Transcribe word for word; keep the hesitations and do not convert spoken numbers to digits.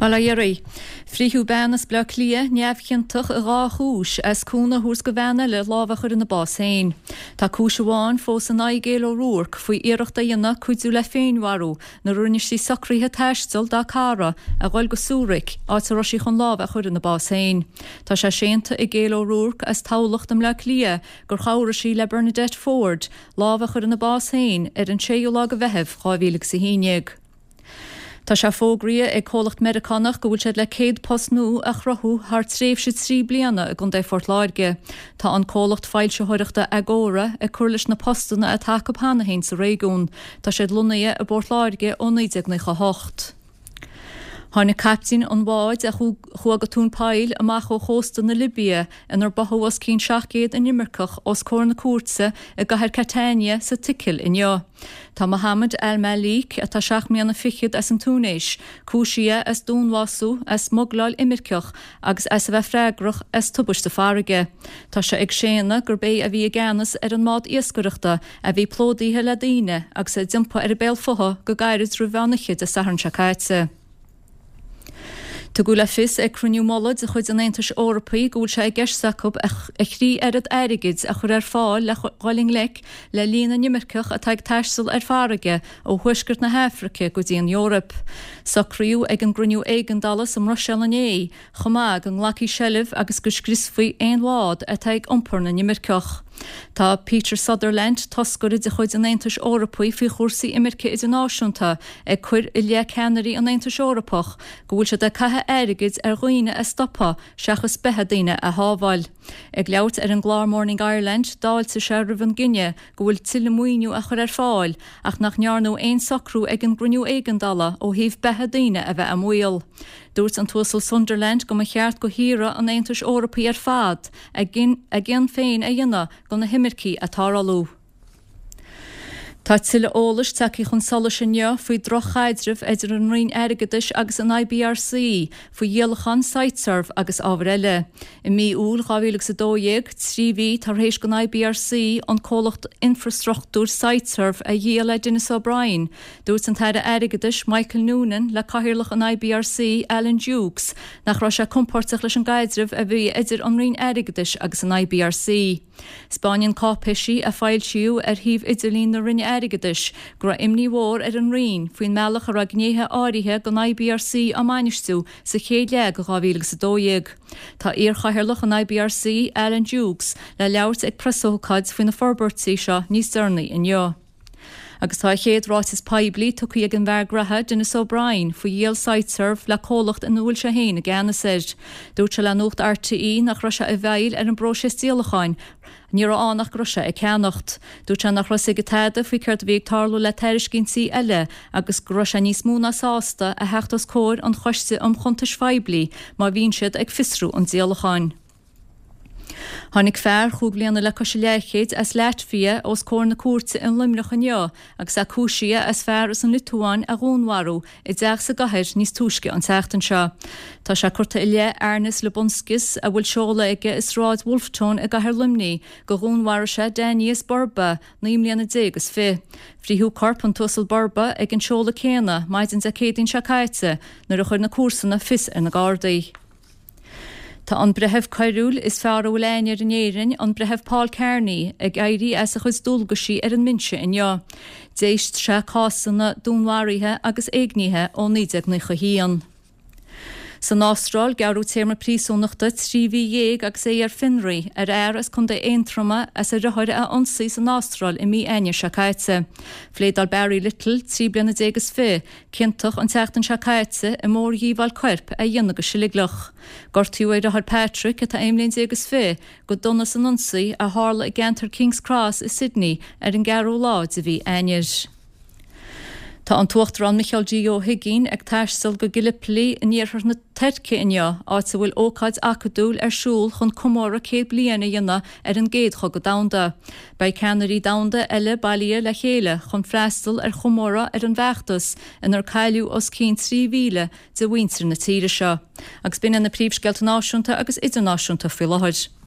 Bail ó Dhia oraibh. Frítheadh bean as Bleá Cliath neamhchiontach i dhá chúis as cúnamh a thabhairt do bhean eile lámh a chur ina bás féin. Tá cúis amháin fós in aghaidh Gail O'Rourke faoi iarracht a dhéanamh cuidiú le féinmharú nuair a rinne sí socruithe taistil dá cara a dhul go Zurich áit a raibh sí chun lámh a chur ina bás féin. Tá sé séanta ag Gail O'Rourke as Tamhlacht i mBleá Cliath gur chabhraigh sí le Bernadette Ford lámh a chur ina bás féin ar an séú lá de Mheitheamh dhá mhíle agus a haon déag. Tá sé fógraithe ag comhlacht Meiriceánach go bhfuil siad le céad post nua a chruthú thar tréimhse trí bliana i gContae Phort Láirge. Tá an comhlacht foilsitheoireachta Agora ag cur leis na postanna atá acu cheana féin sa réigiún. Tá siad lonnaithe i bPort Láirge ó naoi déag nócha a hocht. Tháinig caiptín an bháid a chuaigh go tóin poill amach ó chósta na Libia inar báthadh os cionn seacht gcéad inimirceach os comhair na cúirte i gcathair Catania sa tSicil inniu. Tá Mohammed Al-Malik, atá seacht mbliana fichead as an Túinéis, cúisithe as dúnbhású, as smugláil imirceach agus as a bheith freagrach as tubaiste farraige. Tá sé ag séanadh gurb é a bhí i gceannas ar an mbád iascaireachta a bhí plódaithe le daoine agus a d'iompaigh ar a béal fúthu go gairid roimh mheán oíche Dé Sathairn seo caite. Tugadh le fios ag cruinniú mullaigh de chuid an Aontais Eorpaigh go bhfuil sé i gceist acu a thrí oiread airgid a chur ar fáil le dhul i ngleic le líon na n-imirceach atá ag taisteal ar farraige ó thuaisceart na hAfraice go dtí an Eoraip. Socraíodh ag an gcruinniú éigeandála sa mBruiséil inné chomh maith go nglacfaí seilbh agus go scriosfaí aon bhád atá ag iompar na n-imirceach. Tá Peter Sutherland, toscaire de chuid an Aontais Eorpaigh faoi chúrsaí imirce idirnáisiúnta, ag cur i leith ceannairí an Aontais Eorpach go bhfuil siad ag caitheamh airgid ar dhaoine a stopadh seachas beatha daoine a shábháil. Ag labhairt ar an gclár Morning Ireland, d'fháiltigh sé roimh an gcinneadh go bhfuil tuilleadh maoiniú á chur ar fáil ach nach ndearnadh aon socrú ag an gcruinniú éigeandála ó thaobh beatha daoine a bheith i mbaol. Dúirt an tUasal Sunderland go mba cheart do thíortha an Aontais Eorpaigh ar fad a gcion féin a dhéanamh do na himircigh atá ag tarlú. Tá tuilleadh eolais tagtha chun solais inniu faoi dhroch-chaidreamh idir an Roinn Airgeadais agus an IBRC faoi dhíolachán Siteserv agus ábhair eile. I mí Iúil dhá mhíle agus a dó dhéag, trí mhí tar éis don IBRC an comhlacht infreastruchtúir Siteserv a dhíol le Denis O'Brien, dúirt an tAire Airgeadais Michael Noonan le cathaoirleach an IBRC Alan Dukes nach raibh sé compordach leis an gcaidreamh a bhí idir an Roinn Airgeadais agus an IBRC. Spáineann cáipéisí a foilsíodh ar shuíomh idirlín na Roinne Airgeadais go raibh imní mhór ar an Roinn faoin mbealach a raibh gnéithe áirithe den IBRC á mbainistiú sa chéad leath de dhá mhíle agus a dó dhéag. Tá iarchathaoirleach an IBRC, Alan Dukes, le labhairt ag preasócáid faoi na forbairtí seo níos deireanaí inniu. Agus tá a chéad ráiteas poiblí tugtha ag an bhfear graithe Denis O'Brien faoi dhíol Siteserv le comhlacht ina bhfuil sé féin i gceannas air. Dúirt sé le Nuacht RTÉ nach raibh sé i bhfeighil ar an bpróiseas díolacháin, ní raibh ann ach go raibh sé ag ceannacht. Dúirt sé nach raibh a fhios aige tada faoi céard a bhí ag tarlú le tairiscintí eile agus go raibh sé níos mó ná sásta a theacht os comhair an Choiste um Chuntais Phoiblí má bhíonn siad ag fiosrú an díolacháin. Tháinig fear chúig bliana le cois a leathchéid as Laitvia os comhair na cúirte in Luimneach inniu agus é cúisithe as fear as an Liotuáin a dhúnmharú i dteach sa gcathair níos túisce an tseachtain seo. Tá sé curtha i leith Arnis Lubunskis, a bhfuil seoladh aige i Sráid Wolfe Tone i gcathair Luimnigh, gur dhúnmharaigh sé Danius Burba, naoi mbliana déag is fiche. Frítheadh corp an tUasal Burba ag an seoladh céanna maidin Dé Céadaoin seo caite nuair a chuir na comharsana fios ar na Gardaí. Tá an breitheamh coiriúil is fearr a bhfuil aithne air in Éirinn, an Breitheamh Paul Kearney, ag éirí as a chuid dualgaisí ar an mbinse inniu. D'éist sé cásanna dúnmharaithe agus éignithe ó naoi déag nócha a haon. San Astráil, gearradh téarma príosúnachta trí mhí dhéag agus é ar fionraí ar fhear as Contae Aontroma as a dheartháir a ionsaí san Astráil i mí Eanáir seo caite. Phléadáil Barry Little, trí bliana déag is fiche, ciontach an tseachtain seo caite i mórdhíobháil coirp a dhéanamh go seilgleach. Gortaíodh a dheartháir Patrick, atá aon bhliain déag is fiche, go dona san ionsaí a tharla i gceantar Kings Cross i Sydney ar an gceathrú lá de mhí Eanáir. Tá an tUachtarán Micheál D. Ó hUigínn ag taisteal go Gallipoli in iarthar na Tuirce inniu, áit a bhfuil ócáid acadúil ar siúl chun comóradh céad bliain a dhéanamh ar an gCéad Chogadh Domhanda. Beidh ceannairí domhanda eile bailithe le chéile chun freastal ar chomóradh ar an bhfeachtas inar cailleadh os cionn trí mhíle de mhuintir na tíre seo. Agus b'in iad na príomhscéalta náisiúnta agus idirnáisiúnta faoi láthair.